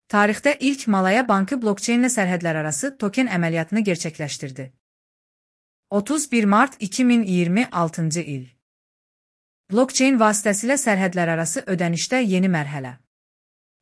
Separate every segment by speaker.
Speaker 1: Tarixdə ilk Malaya Bankı blokçeynlə sərhədlərarası token əməliyyatını gerçəkləşdirdi. 31 mart 2026-cı il. Blokçeyn vasitəsilə sərhədlərarası ödənişdə yeni mərhələ.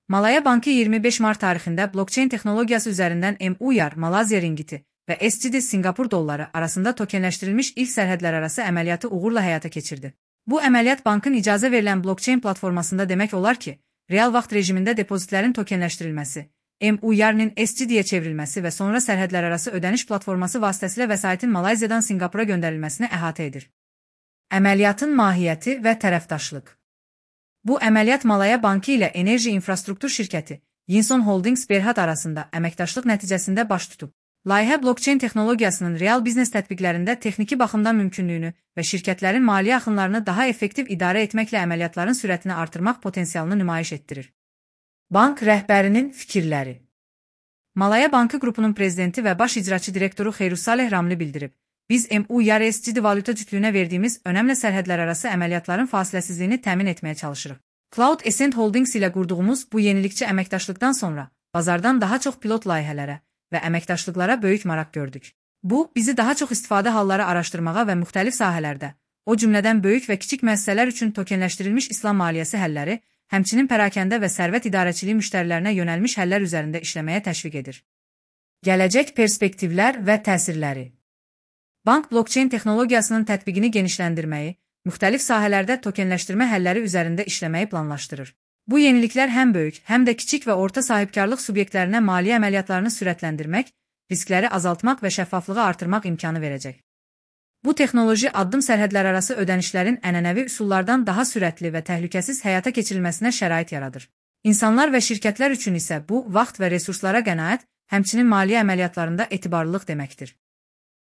Speaker 1: Malaya Bankı 25 mart tarixində blokçeyn texnologiyası üzərindən MUYAR, Malayziya ringgiti və SGD Singapur dolları arasında tokenləşdirilmiş ilk sərhədlərarası əməliyyatı uğurla həyata keçirdi. Bu əməliyyat bankın icazə verilən blokçeyn platformasında demək olar ki, real vaxt rejimində depozitlərin tokenləşdirilməsi, MUYAR-nin SGD-yə çevrilməsi və sonra sərhədlərarası ödəniş platforması vasitəsilə vəsaitin Malayziyadan Singapura göndərilməsini əhatə edir. Əməliyyatın mahiyyəti və tərəfdaşlıq. Bu əməliyyat Malaya Bankı ilə enerji infrastruktur şirkəti Yinson Holdings Berhad arasında əməkdaşlıq nəticəsində baş tutub. Layihə blokçeyn texnologiyasının real biznes tətbiqlərində texniki baxımdan mümkünlüyünü və şirkətlərin maliyyə axınlarını daha effektiv idarə etməklə əməliyyatların sürətini artırmaq potensialını nümayiş etdirir. Bank rəhbərinin fikirləri. Malaya Bankı qrupunun prezidenti və baş icraçı direktoru Xeyrussaleh Ramli bildirib. Biz MUYAR SGD valyuta cütlüyünə verdiyimiz önəmli sərhədlərarası əməliyyatların fasiləsizliyini təmin etməyə çalışırıq. Cloud Ascent Holdings ilə qurduğumuz bu yenilikçi əməkdaşlıqdan sonra bazardan daha çox pilot layihələrə və əməkdaşlıqlara böyük maraq gördük. Bu, bizi daha çox istifadə halları araşdırmağa və müxtəlif sahələrdə, o cümlədən böyük və kiçik müəssisələr üçün tokenləşdirilmiş İslam maliyyəsi həlləri, həmçinin pərakəndə və sərvət idarəçiliyi müştərilərinə yönəlmiş həllər üzərində işləməyə təşviq edir. Gələcək perspektivlər və təsirləri. Bank blokçeyn texnologiyasının tətbiqini genişləndirməyi, müxtəlif sahələrdə tokenləşdirmə həlləri üzərində işləməyi planlaşdırır. Bu yeniliklər həm böyük, həm də kiçik və orta sahibkarlıq subyektlərinə maliyyə əməliyyatlarını sürətləndirmək, riskləri azaltmaq və şəffaflığı artırmaq imkanı verəcək. Bu texnoloji addım sərhədlərarası ödənişlərin ənənəvi üsullardan daha sürətli və təhlükəsiz həyata keçirilməsinə şərait yaradır. İnsanlar və şirkətlər üçün isə bu, vaxt və resurslara qənaət, həmçinin maliyyə əməliyyatlarında etibarlılıq deməkdir.